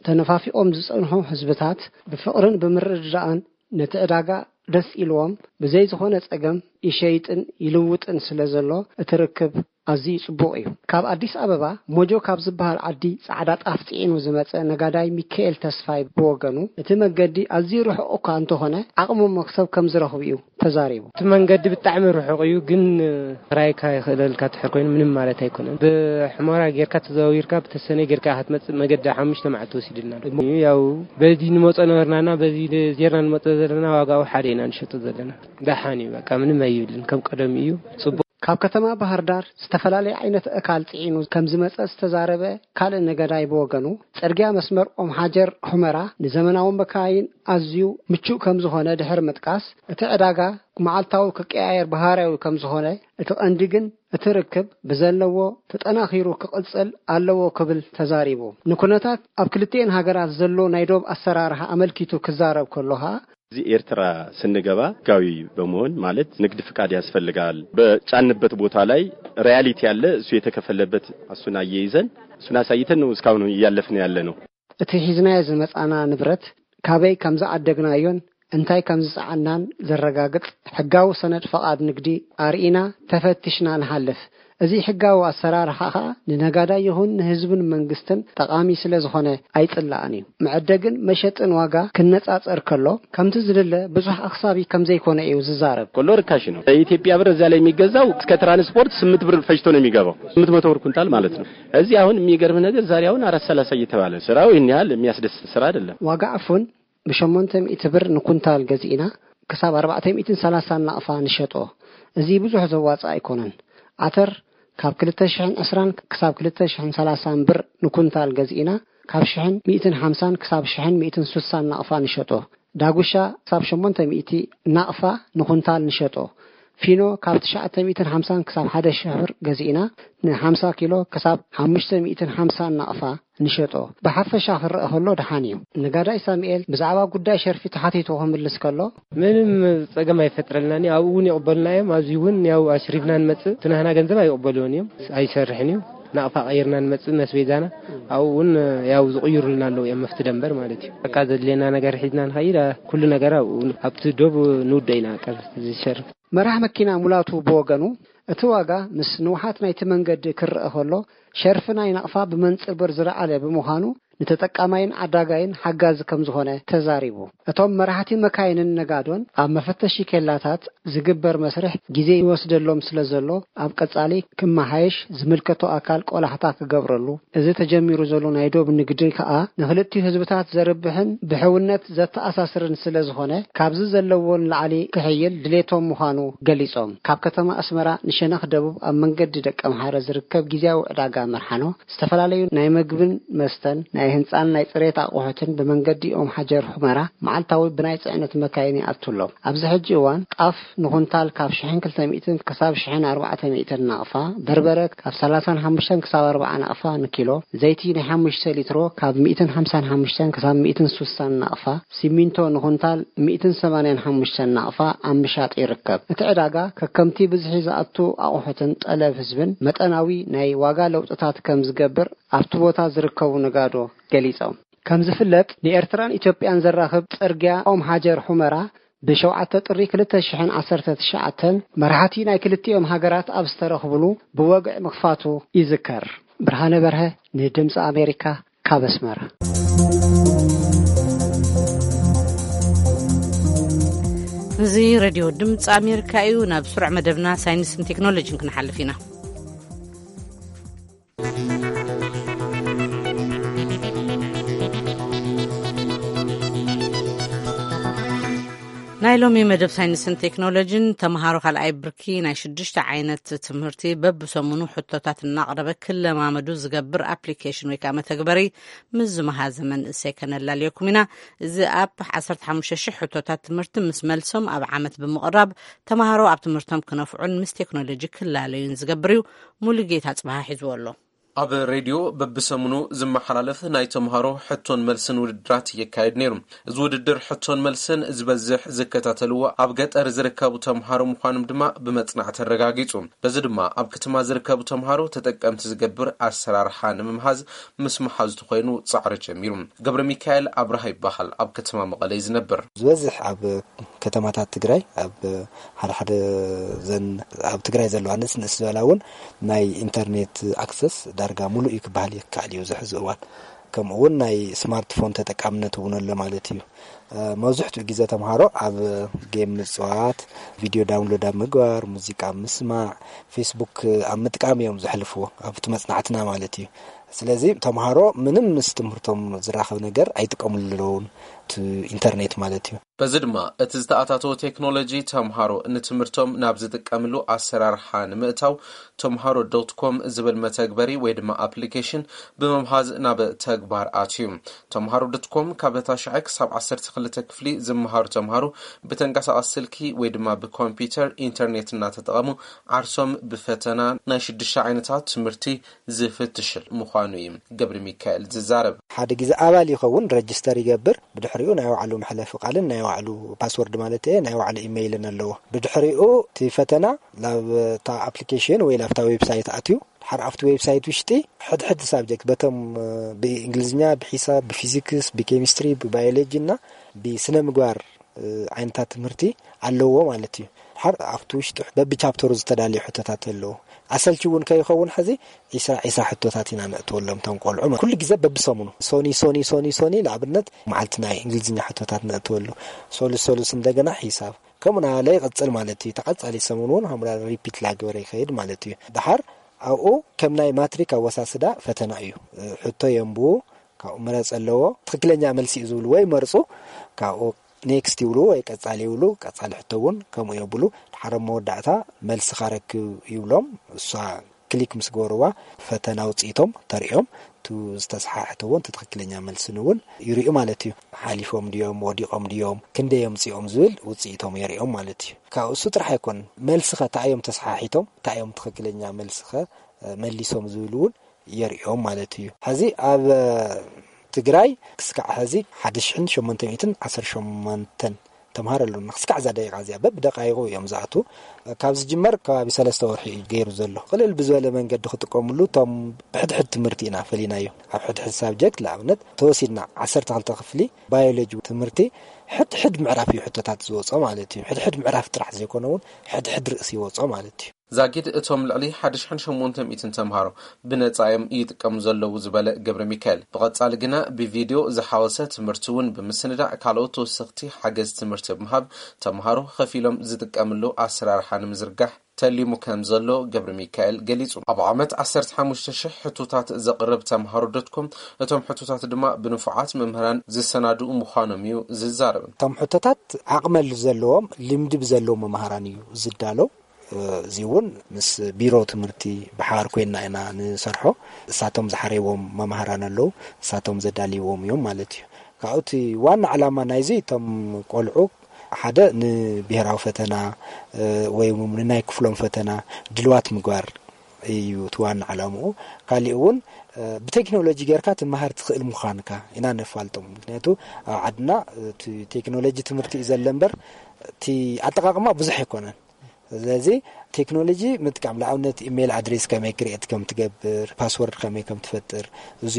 ተነፋፊቖም ዝጸንሑ ህዝብታት ብፍቕርን ብምርድዳእን ነቲ ዕዳጋ ደስ ኢልዎም ብዘይ ዝኾነ ጸገም ይሸይጥን ይልውጥን ስለ ዘሎ እቲ ርክብ ኣዝዩ ጽቡቕ እዩ። ካብ ኣዲስ ኣበባ ሞጆ ካብ ዝበሃል ዓዲ ጻዕዳ ጣፍ ጽዒኑ ዝመጸ ነጋዳይ ሚካኤል ተስፋይ ብወገኑ፣ እቲ መንገዲ ኣዝዩ ርሑቕ እኳ እንተኾነ ዓቕሚ መክሰብ ከም ዝረኽቡ እዩ ተዛሪቡ። እቲ መንገዲ ብጣዕሚ ርሑቕ እዩ፣ ግን ክራይካ ይኽእለልካ ትሕር ኮይኑ ምንም ማለት ኣይኮነን። ብሕሞራ ጌርካ ተዘዋዊርካ ብተሰነ ጌርካ ክትመጽእ መገዲ ሓሙሽተ መዓልቲ ወሲድልና ኣሎ። ያው በዚ ንመጾ ነበርናና በዚ ዜርና ንመጾ ዘለና ዋጋኡ ሓደ ኢና ንሸጦ ዘለና። ደሓን እዩ፣ በቃ ምንም ኣይብልን፣ ከም ቀደም እዩ፣ ጽቡቕ። ካብ ከተማ ባህር ዳር ዝተፈላለየ ዓይነት እካል ጽዒኑ ከም ዝመጸ ዝተዛረበ ካልእ ነጋዳይ ብወገኑ፣ ጽርግያ መስመር ኦም ሓጀር ሑመራ ንዘመናዊ መካይን ኣዝዩ ምቹእ ከም ዝኾነ ድሕሪ ምጥቃስ፣ እቲ ዕዳጋ መዓልታዊ ክቀያየር ባህርያዊ ከም ዝኾነ፣ እቲ ቀንዲ ግን እቲ ርክብ ብዘለዎ ተጠናኺሩ ክቕጽል ኣለዎ ክብል ተዛሪቡ። ንኩነታት ኣብ ክልቲኤን ሃገራት ዘሎ ናይ ዶብ ኣሰራርሓ ኣመልኪቱ ክዛረብ ከሎ ኸኣ፣ እዚ ኤርትራ ስንገባ ህጋዊ በመሆን ማለት ንግድ ፍቃድ ያስፈልጋል። በጫንበት ቦታ ላይ ሪያሊቲ ያለ እሱ የተከፈለበት እሱን አያይዘን እሱን አሳይተን ነው እስካሁን እያለፍን ያለ ነው። እቲ ሒዝናዮ ዝመጻና ንብረት ካበይ ከም ዝዓደግናዮን እንታይ ከም ዝጸዓናን ዘረጋግጽ ሕጋዊ ሰነድ ፍቓድ ንግዲ ኣርኢና ተፈቲሽና ንሓልፍ። እዚ ሕጋዊ ኣሰራርሓ ኸኣ ንነጋዳይ ይኹን ንህዝብን መንግስትን ጠቓሚ ስለ ዝኾነ ኣይጽላእን እዩ። መዐደግን መሸጥን ዋጋ ክነጻጸር ከሎ ከምቲ ዝድለ ብዙሕ ኣኽሳቢ ከም ዘይኮነ እዩ ዝዛረብ። ከሎ ርካሽ ነው። በኢትዮጵያ ብር እዚያ ላይ የሚገዛው እስከ ትራንስፖርት ስምንት ብር ፈጅቶ ነው የሚገባው። ስምንት መቶ ብር ኩንታል ማለት ነው። እዚህ አሁን የሚገርም ነገር ዛሬ አሁን አራት ሰላሳ እየተባለ ስራው ይህን ያህል የሚያስደስት ስራ አይደለም። ዋጋ ዕፉን ብሸሞንተ ሚእቲ ብር ንኩንታል ገዚእና ክሳብ ኣርባዕተ ሚእትን ሰላሳን ናቕፋ ንሸጦ። እዚ ብዙሕ ዘዋጽእ ኣይኮነን። ዓተር ካብ ክልተ ሽሕን ዕስራን ክሳብ ክልተ ሽሕን ሰላሳን ብር ንኩንታል ገዚእና ካብ ሽሕን ሚእትን ሓምሳን ክሳብ ሽሕን ሚእትን ሱሳን ናቕፋ ንሸጦ። ዳጉሻ ክሳብ ሸሞንተ ሚእቲ ናቕፋ ንኩንታል ንሸጦ። ፊኖ ካብ ትሽዓተ ሚእትን ሓምሳን ክሳብ ሓደ ሽሕ ብር ገዚእና ንሓምሳ ኪሎ ክሳብ ሓሙሽተ ሚእትን ሓምሳን ናቕፋ ንሸጦ። ብሓፈሻ ክረኣ ከሎ ደሓን እዩ። ነጋዳይ ሳሙኤል ብዛዕባ ጉዳይ ሸርፊ ተሓቲቱ ክምልስ ከሎ፣ ምንም ጸገም ኣይፈጥረልናን እዩ። ኣብኡ እውን ይቕበሉና እዮም። ኣብዚ እውን ያው ኣሽሪፍና ንመጽእ እቲ ናህና ገንዘብ ኣይቕበልዎን እዮም። ኣይሰርሕን እዩ። ናቕፋ ቀይርና ንመጽእ መስቤዛና ኣብኡ እውን ያው ዝቕይሩልና ኣለዉ እዮም። መፍቲ ደንበር ማለት እዩ። በቃ ዘድልየና ነገር ሒዝና ንኸይድ ኩሉ ነገር ኣብኡ ኣብቲ ዶብ ንውደ ኢና ቀር ዝሸርፍ። መራሕ መኪና ሙላቱ ብወገኑ፣ እቲ ዋጋ ምስ ንውሓት ናይቲ መንገዲ ክረኣ ከሎ፣ ሸርፊ ናይ ናቕፋ ብመንጽር ብር ዝለዓለ ብምዃኑ፣ ንተጠቃማይን ዓዳጋይን ሓጋዚ ከም ዝኾነ ተዛሪቡ። እቶም መራሕቲ መካይንን ነጋዶን ኣብ መፈተሺ ኬላታት ዝግበር መስርሕ ግዜ ይወስደሎም ስለ ዘሎ፣ ኣብ ቀጻሊ ክመሓየሽ ዝምልከቶ ኣካል ቆላሕታ ክገብረሉ፣ እዚ ተጀሚሩ ዘሎ ናይ ዶብ ንግዲ ከኣ ንኽልቲኡ ህዝብታት ዘርብሕን ብሕውነት ዘተኣሳስርን ስለ ዝኾነ፣ ካብዚ ዘለዎ ንላዕሊ ክሕይል ድሌቶም ምዃኑ ገሊጾም። ካብ ከተማ ኣስመራ ንሸነኽ ደቡብ ኣብ መንገዲ ደቀምሓረ ዝርከብ ግዝያዊ ዕዳጋ መርሓኖ፣ ዝተፈላለዩ ናይ መግብን መስተን፣ ናይ ህንፃን ናይ ፅሬት ኣቑሑትን ብመንገዲ ኦም ሓጀር ሑመራ መዓልታዊ ብናይ ፅዕነት መካይን ይኣቱ ኣሎ። ኣብዚ ሕጂ እዋን ጣፍ ንኹንታል ካብ ሽሕን ክልተ ሚእትን ክሳብ ሽሕን ኣርባዕተ ሚእትን ናቕፋ፣ በርበረ ካብ ሰላሳን ሓሙሽተን ክሳብ ኣርባዓ ናቕፋ ንኪሎ፣ ዘይቲ ናይ ሓሙሽተ ሊትሮ ካብ ሚእትን ሓምሳን ሓሙሽተን ክሳብ ሚእትን ስሳን ናቕፋ፣ ሲሚንቶ ንኹንታል ሚእትን ሰማንያን ሓሙሽተን ናቕፋ ኣብ ምሻጥ ይርከብ። እቲ ዕዳጋ ከከምቲ ብዝሒ ዝኣቱ ኣቑሑትን ጠለብ ህዝብን መጠናዊ ናይ ዋጋ ለውጥታት ከም ዝገብር ኣብቲ ቦታ ዝርከቡ ነጋዶ ገሊጾም። ከም ዝፍለጥ ንኤርትራን ኢትዮጵያን ዘራኽብ ጽርግያ ኦም ሃጀር ሑመራ ብሸውዓተ ጥሪ ክልተ ሽሕን ዓሰርተ ትሽዓተን መራሕቲ ናይ ክልቲኦም ሃገራት ኣብ ዝተረኽብሉ ብወግዒ ምኽፋቱ ይዝከር። ብርሃነ በርሀ ንድምፂ ኣሜሪካ ካብ ኣስመራ። እዚ ሬድዮ ድምፂ ኣሜሪካ እዩ። ናብ ስሩዕ መደብና ሳይንስን ቴክኖሎጂን ክንሓልፍ ኢና። ናይ ሎሚ መደብ ሳይንስን ቴክኖሎጂን፣ ተምሃሮ ካልኣይ ብርኪ ናይ ሽዱሽተ ዓይነት ትምህርቲ በብሰሙኑ ሕቶታት እናቕረበ ክለማመዱ ዝገብር ኣፕሊኬሽን ወይ ከዓ መተግበሪ ምስ ዝመሃዘ መንእሰይ ከነላልየኩም ኢና። እዚ ኣፕ ዓሰርተ ሓሙሽተ ሽሕ ሕቶታት ትምህርቲ ምስ መልሶም ኣብ ዓመት ብምቕራብ፣ ተምሃሮ ኣብ ትምህርቶም ክነፍዑን ምስ ቴክኖሎጂ ክላለዩን ዝገብር እዩ። ሙሉጌታ ጽባሃ ሒዝዎ ኣሎ። ኣብ ሬድዮ በብሰሙኑ ዝመሓላለፍ ናይ ተምሃሮ ሕቶን መልስን ውድድራት የካየድ ነይሩ። እዚ ውድድር ሕቶን መልስን ዝበዝሕ ዝከታተልዎ ኣብ ገጠር ዝርከቡ ተምሃሮ ምዃኖም ድማ ብመጽናዕቲ ኣረጋጊጹ። በዚ ድማ ኣብ ከተማ ዝርከቡ ተምሃሮ ተጠቀምቲ ዝገብር ኣሰራርሓ ንምምሃዝ ምስ መሓዙ ተኾይኑ ጻዕሪ ጀሚሩ። ገብረ ሚካኤል ኣብርሃ ይበሃል። ኣብ ከተማ መቐለ እዩ ዝነብር። ዝበዝሕ ኣብ ከተማታት ትግራይ፣ ኣብ ሓደ ሓደ ዘን ኣብ ትግራይ ዘለዋ ንእስ ንእስ ዝበላ እውን ናይ ኢንተርኔት ኣክሰስ ዳርጋ ሙሉእ እዩ ክበሃል ይከኣል እዩ። እዚ ሕዚ እዋን ከምኡ እውን ናይ ስማርትፎን ተጠቃምነት እውን ኣሎ ማለት እዩ። መብዝሕትኡ ግዜ ተምሃሮ ኣብ ጌም ምፅዋት፣ ቪድዮ ዳውንሎድ ኣብ ምግባር፣ ሙዚቃ ኣብ ምስማዕ፣ ፌስቡክ ኣብ ምጥቃም እዮም ዘሕልፍዎ ኣብቲ መፅናዕትና ማለት እዩ። ስለዚ ተምሃሮ ምንም ምስ ትምህርቶም ዝራኸብ ነገር ኣይጥቀምሉ ኣለውን፣ እቲ ኢንተርኔት ማለት እዩ። በዚ ድማ እቲ ዝተኣታተወ ቴክኖሎጂ ተምሃሮ ንትምህርቶም ናብ ዝጥቀምሉ ኣሰራርሓ ንምእታው ተምሃሮ ዶት ኮም ዝብል መተግበሪ ወይ ድማ ኣፕሊኬሽን ብምምሃዝ ናብ ተግባር ኣትዩ። ተምሃሮ ዶት ኮም ካብ ታሽዓይ ክሳብ ዓሰርተ ክልተ ክፍሊ ዝመሃሩ ተምሃሮ ብተንቀሳቐሲ ስልኪ ወይ ድማ ብኮምፒውተር ኢንተርኔት እናተጠቐሙ ዓርሶም ብፈተና ናይ ሽዱሽተ ዓይነታት ትምህርቲ ዝፍትሽል ምዃኑ እዩ ገብረ ሚካኤል ዝዛረብ። ሓደ ግዜ ኣባል ይኸውን፣ ረጅስተር ይገብር። ብድሕሪኡ ናይ ባዕሉ መሕለፊ ቃልን ናይ ባዕሉ ፓስወርድ ማለት እየ፣ ናይ ባዕሉ ኢሜይልን ኣለዎ። ብድሕሪኡ እቲ ፈተና ላብታ ኣፕሊኬሽን ወይ ላብታ ዌብሳይት ኣትዩ፣ ድሓር ኣብቲ ዌብሳይት ውሽጢ ሕድሕድ ሳብጀክት በቶም፣ እ፣ ብእንግሊዝኛ፣ ብሒሳብ፣ ብፊዚክስ፣ ብኬሚስትሪ፣ ብባዮሎጂ እና ብስነ ምግባር፣ እ፣ ዓይነታት ትምህርቲ ኣለዎ ማለት እዩ። ድሓር ኣብቲ ውሽጢ በብቻፕተሩ ዝተዳለዩ ሕቶታት ኣለዎ። ኣሰልቺ እውን ከይኸውን ሕዚ ዒስራ ዒስራ ሕቶታት ኢና ነእትወሎም እቶም ቆልዑ። ኩሉ ግዜ በብሰሙኑ ሶኒ፣ ሶኒ፣ ሶኒ፣ ሶኒ፣ ንኣብነት መዓልቲ ናይ እንግሊዝኛ ሕቶታት ነእትወሉ። ሶሉስ፣ ሶሉስ እንደገና ሒሳብ። ከምኡ እናበለ ይቕጽል ማለት እዩ። ተቐጻሊ ሰሙን እውን ሃምራ ሪፒት ላግበረ ይኸይድ ማለት እዩ። ድሓር ኣብኡ ከም ናይ ማትሪክ ኣወሳስዳ ፈተና እዩ። ሕቶ የንብቡ፣ ካብኡ ምረጽ ኣለዎ። ትኽክለኛ መልሲ እዩ ዝብልዎ ይመርጹ። ካብኡ ኔክስት ይብሉ ወይ ቀጻሊ ይብሉ። ቀጻሊ ሕቶ እውን ከምኡ የብሉ። ድሓር ኣብ መወዳእታ መልስኻ ረክብ ይብሎም። እሷ ክሊክ ምስ ገበርዋ ፈተና ውጽኢቶም ተርእዮም። እቲ ዝተሰሓሕተ እውን እቲ ትኽክለኛ መልስን እውን ይርእዩ ማለት እዩ። ሓሊፎም ድዮም፣ ወዲቖም ድዮም፣ ክንደይ ኣምጺኦም ዝብል ውጽኢቶም የርእዮም ማለት እዩ። ካብ እሱ ጥራሕ ኣይኮነን፣ መልስኸ እንታይ እዮም ተሰሓሒቶም፣ እንታይ እዮም ትኽክለኛ መልስኸ፣ እ፣ መሊሶም ዝብል እውን የርእዮም ማለት እዩ። ሕዚ ኣብ፣ እ፣ ትግራይ ክስካዕ ሕዚ ሓደ ሽሕን ሸሞንተ ሚእትን ዓሰርተ ሸሞንተን ተምሃሮ ኣለዉና። ክስካዕ እዛ ደቂቓ እዚኣ በብደቃይቑ እዮም ዝኣትዉ። ካብ ዝጅመር ከባቢ ሰለስተ ወርሒ እዩ ገይሩ ዘሎ። ቅልል ብዝበለ መንገዲ ክጥቀምሉ እቶም ብሕድሕድ ትምህርቲ ኢና ፈሊናዮ። ኣብ ሕድሕድ ሳብጀክት ንኣብነት ተወሲድና ዓሰርተ ክልተ ክፍሊ ባዮሎጂ ትምህርቲ ሕድሕድ ምዕራፍ እዩ ሕቶታት ዝወጾ ማለት እዩ። ሕድሕድ ምዕራፍ ጥራሕ ዘይኮነ እውን ሕድሕድ ርእሲ ይወጾ ማለት እዩ። ዛጊድ እቶም ልዕሊ ሓደ ሽሕን ሸሞንተ ሚእትን ተምሃሮ ብነጻ እዮም ይጥቀሙ ዘለዉ ዝበለ ገብረ ሚካኤል፣ ብቐጻሊ ግና ብቪድዮ ዝሓወሰ ትምህርቲ እውን ብምስንዳእ ካልኦት ተወሰኽቲ ሓገዝ ትምህርቲ ብምሃብ ተምሃሮ ከፊሎም ዝጥቀምሉ ኣሰራርሓ ንምዝርጋሕ ተሊሙ ከም ዘሎ ገብረ ሚካኤል ገሊጹ። ኣብ ዓመት ዓሰርተ ሓሙሽተ ሽሕ ሕቶታት ዘቕርብ ተምሃሮ ዶት ኮም፣ እቶም ሕቶታት ድማ ብንፉዓት መምህራን ዝሰናድኡ ምዃኖም እዩ ዝዛረብ። እቶም ሕቶታት ዓቕመ ዘለዎም፣ ልምዲ ብዘለዎም መምሃራን እዩ ዝዳለው። እዚ እውን ምስ ቢሮ ትምህርቲ ብሓባር ኮይና ኢና ንሰርሖ። እሳቶም ዝሓረይዎም መማህራን ኣለዉ፣ እሳቶም ዘዳልይዎም እዮም ማለት እዩ። ካብኡ እቲ ዋና ዕላማ ናይዚ እቶም ቆልዑ ሓደ ንብሄራዊ ፈተና ወይ እውን ንናይ ክፍሎም ፈተና ድልዋት ምግባር እዩ እቲ ዋና ዕላምኡ። ካሊእ እውን ብቴክኖሎጂ ጌርካ ትመሃር ትኽእል ምዃንካ ኢና ነፋልጦም። ምክንያቱ ኣብ ዓድና እቲ ቴክኖሎጂ ትምህርቲ እዩ ዘለ እምበር እቲ ኣጠቃቅማ ብዙሕ ኣይኮነን። ስለዚ ቴክኖሎጂ ምጥቃም፣ ንኣብነት ኢሜይል ኣድሬስ ከመይ ክርኤት ከም ትገብር፣ ፓስወርድ ከመይ ከም ትፈጥር፣ እዚ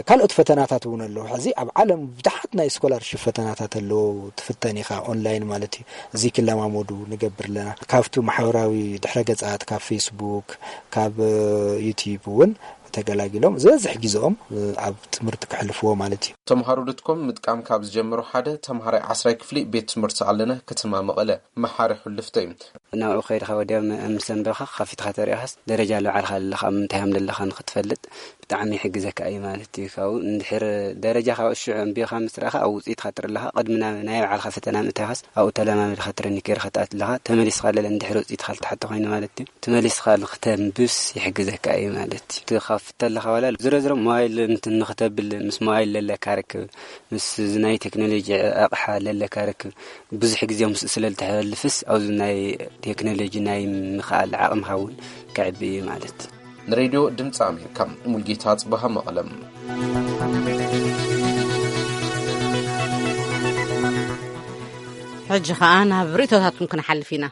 ካልኦት ፈተናታት እውን ኣለዉ። ሕዚ ኣብ ዓለም ብዙሓት ናይ ስኮላርሽፕ ፈተናታት ኣለዉ። ትፍተን ኢኻ ኦንላይን ማለት እዩ። እዚ ክለማመዱ ንገብር ኣለና። ካብቱ ማሕበራዊ ድሕረ ገጻት፣ ካብ ፌስቡክ፣ ካብ ዩቲዩብ እውን ተገላጊሎም ዝበዝሕ ግዜኦም ኣብ ትምህርቲ ክሕልፍዎ ማለት እዩ። ተምሃሮ ዶትኮም ምጥቃም ካብ ዝጀመሩ ሓደ ተምሃራይ ዓስራይ ክፍሊ ቤት ትምህርቲ ኣለነ ከተማ መቐለ መሓሪ ሕልፍተ እዩ። ናብኡ ከይድኻ ወዲያ ምስ ዘንበብካ ከፊትካ ተሪእኻስ ደረጃ ለባዕልካ ዘለኻ ኣብ ምንታይ ሃም ዘለኻ ንክትፈልጥ ብጣዕሚ ይሕግዘካ እዩ ማለት እዩ። ካብኡ እንድሕር ደረጃ ካብ ሽዑ ኣንቢብካ ምስ ረኣኻ ኣብ ውፅኢትካ ትርኢ ኣለኻ። ቅድሚ ናብ ናይ ባዕልካ ፈተና ምእታኻስ ኣብኡ ተለማሚድካ ትረኒ ከይርካ ትኣት ኣለኻ። ተመሊስካ ለለ እንድሕር ውፅኢትካ ልተሓተ ኮይኑ ማለት እዩ። ተመሊስካ ንክተንብብስ ይሕግዘካ እዩ ማለት እዩ። እቲ ካብ ፍተ ኣለኻ ዋላ ዝሮ ዝሮ ሞባይል እንትን ንክተብል ምስ ሞባይል ለለካ ርክብ፣ ምስ ናይ ቴክኖሎጂ ኣቕሓ ለለካ ርክብ ብዙሕ ግዜ ምስ ስለ ልተሕልፍስ ኣብዚ ናይ ቴክኖሎጂ ናይ ምኽኣል ዓቕምኻ እውን ከዕቢ እዩ ማለት። ንሬድዮ ድምፂ ኣሜሪካ ሙልጌታ ጽባሃ መቐለም። ሕጂ ኸኣ ናብ ርእይቶታትኩም ክንሓልፍ ኢና።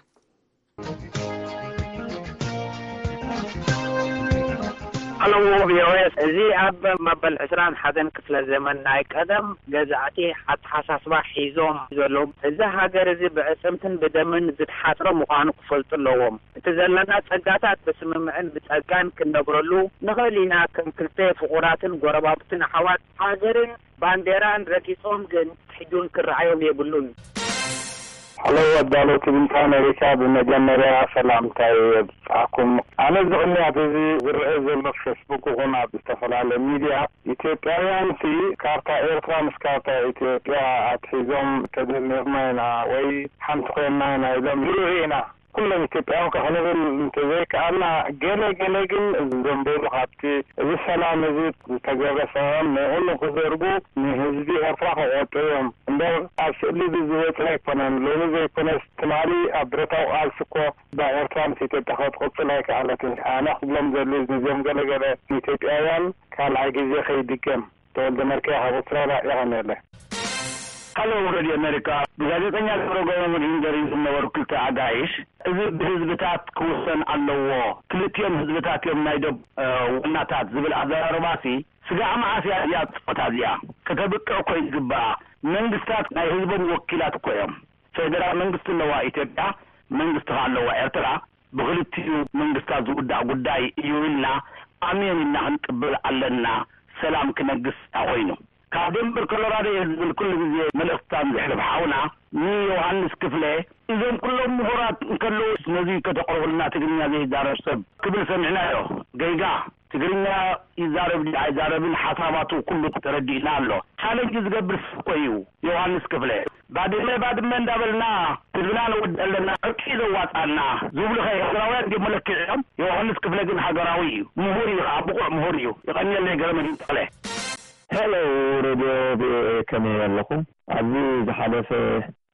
ኣለዎ ቪኦኤ፣ እዚ ኣብ መበል ዕስራን ሓደን ክፍለ ዘመን ናይ ቀደም ገዛእቲ ኣተሓሳስባ ሒዞም ዘለዉ፣ እዚ ሃገር እዚ ብዕጽምትን ብደምን ዝትሓጽረ ምዃኑ ክፈልጡ ኣለዎም። እቲ ዘለና ጸጋታት ብስምምዕን ብጸጋን ክንነብረሉ ንኽእል ኢና። ከም ክልተ ፍቑራትን ጎረባብትን ኣሕዋት ሃገርን ባንዴራን ረጊጾም ግን ሕጁን ክረኣዮም የብሉን። ሀሎ፣ ኣዳለውቲ ድምፂ ኣሜሪካ፣ ብመጀመርያ ሰላምታይ የብፅሓኩም። ኣነ እዚ ቅንያት እዚ ዝረአ ዘሎ ፌስቡክ ይኹን ኣብ ዝተፈላለየ ሚድያ፣ ኢትዮጵያውያን ሲ ካርታ ኤርትራ ምስ ካርታ ኢትዮጵያ ኣትሒዞም ተደሚርና ኢና ወይ ሓንቲ ኮይንና ኢና ኢሎም ይርኡ ኢና። ኩሎም ኢትዮጵያውያን ከ ክንብል እንተዘይከኣልና፣ ገለ ገለ ግን ዘንበሉ ካብቲ እዚ ሰላም እዚ ዝተገብረ ሰላም ንዕሉ ክዘርጉ ንህዝቢ ኤርትራ ክቆጡ እዮም እምበር ኣብ ስእሊ እዚ ዝወፀ ኣይኮነን። ሎሚ ዘይኮነስ ትማሊ ኣብ ብረታዊ ቃልሲ እኮ እዛ ኤርትራ ምስ ኢትዮጵያ ክትቕፅል ኣይከኣለትን። ኣነ ክብሎም ዘድልዩ ነዚኦም ገለ ገለ ኢትዮጵያውያን ካልኣይ ግዜ ከይድገም። ተወልደ መርክያ ካብ ኣውስትራልያ የቐንየለይ። ሃሎ፣ ሬድዮ ኣሜሪካ፣ ብጋዜጠኛ ገብረ ገረሞን ኢንገሪን ዝነበሩ ክልተ ኣጋይሽ፣ እዚ ብህዝብታት ክውሰን ኣለዎ፣ ክልቲኦም ህዝብታት እዮም ናይ ደብ፣ እ፣ ዋናታት ዝብል ኣዘራርባሲ፣ ስጋዕ መዓስ እያ እዚኣ ጸወታ እዚኣ? ከተብቅዕ እኮ ይግብኣ። መንግስታት ናይ ህዝቦም ወኪላት እኮ እዮም። ፌደራል መንግስቲ ኣለዋ ኢትዮጵያ፣ መንግስቲ ከኣ ኣለዋ ኤርትራ። ብኽልቲኡ መንግስታት ዝውዳእ ጉዳይ እዩ ኢልና ኣሜን ኢልና ክንቅበል ኣለና። ሰላም ክነግስ ኮይኑ ካብ ደንበር ኮሎራዶ እየ ዝብል ኩሉ ግዜ መልእኽትታን ዘሕልፍ ሓውና ንዮሃንስ ክፍለ፣ እዞም ኩሎም ምሁራት እንከለዉ ነዚ ከተቕርቡልና ትግርኛ ዘይዛረብ ሰብ ክብል ሰሚዕናዮ። ገይጋ ትግርኛ ይዛረብ ድዩ ኣይዛረብን ሓሳባቱ ኩሉ ተረዲእና ኣሎ። ቻለንጅ ዝገብር ሰብ እኮ እዩ ዮሃንስ ክፍለ። ባድመ ባድመ እንዳበልና ህዝብና ነወድ ኣለና፣ ዕርቂ ዘዋጻና ዝብሉ ከ ኤርትራውያን ድዮም መለክዒኦም? ዮሃንስ ክፍለ ግን ሃገራዊ እዩ፣ ምሁር እዩ፣ ከዓ ብቑዕ ምሁር እዩ። የቐንየለይ ገረመድህን ተኽለ። ሄሎ፣ ሬድዮ ቪኦኤ፣ ከመይ ኣለኹም? ኣብዚ ዝሓለፈ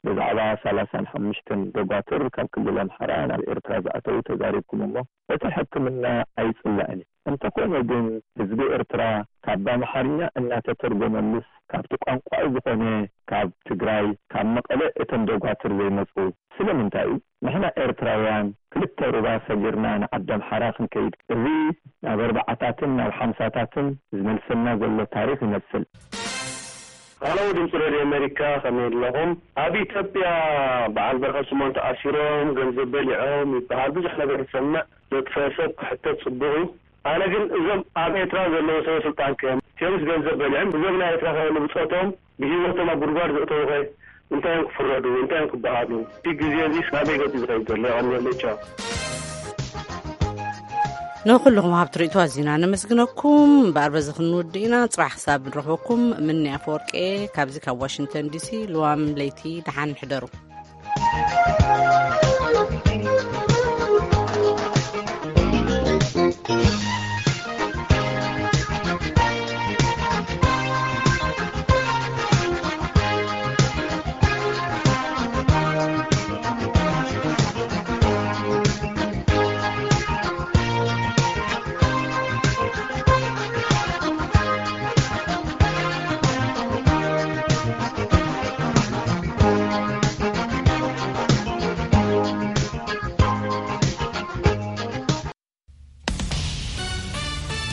ብዛዕባ ሰላሳን ሓሙሽተን ደጓትር ካብ ክልል ኣምሓራ ናብ ኤርትራ ዝኣተዉ ተዛሪብኩም እሞ፣ እቲ ሕክምና ኣይጽላእን እዩ። እንተኾነ ግን ህዝቢ ኤርትራ ካብ ኣምሓርኛ እናተተርጎመሉስ ካብቲ ቋንቋኡ ዝኾነ ካብ ትግራይ፣ ካብ መቐለ እቶም ደጓትር ዘይመጹ ስለምንታይ እዩ? ንሕና ኤርትራውያን ክልተ ሩባ ሰጊርና ንዓዲ ኣምሓራ ክንከይድ፣ እዚ ናብ ኣርባዓታትን ናብ ሓምሳታትን ዝመልሰና ዘሎ ታሪኽ ይመስል። ሃሎ፣ ድምፂ ሬድዮ ኣሜሪካ፣ ከመይ ኣለኹም? ኣብ ኢትዮጵያ በዓል በረኸት ስምኦን ተኣሲሮም፣ ገንዘብ በሊዖም ይበሃል። ብዙሕ ነገር ይሰምዕ። ዘጥፈአ ሰብ ክሕተት ጽቡቕ እዩ። ኣነ ግን እዞም ኣብ ኤርትራ ዘለዉ ሰበ ስልጣን ከ፣ እቲኦምስ ገንዘብ በሊዖም፣ እዞም ናይ ኤርትራ ከ ንብጾቶም ብህይወቶም ኣብ ጉድጓድ ዘእተዉ ከ፣ እንታይ እዮም ክፍረዱ? እንታይ እዮም ክበሃሉ? እቲ ግዜ እዚ ናበይ ገጹ ዝኸይድ ዘሎ? የቐንየለይ። ቻው። ንኹልኹም ሃብቲ ርእይቶ ኣዚና ነመስግነኩም። እምበኣር በዚ ክንውድእ ኢና። ጽባሕ ክሳብ ንረኽበኩም ምኒ ኣፈወርቂ እየ ካብዚ ካብ ዋሽንግተን ዲሲ። ልዋም ለይቲ ደሓን ሕደሩ።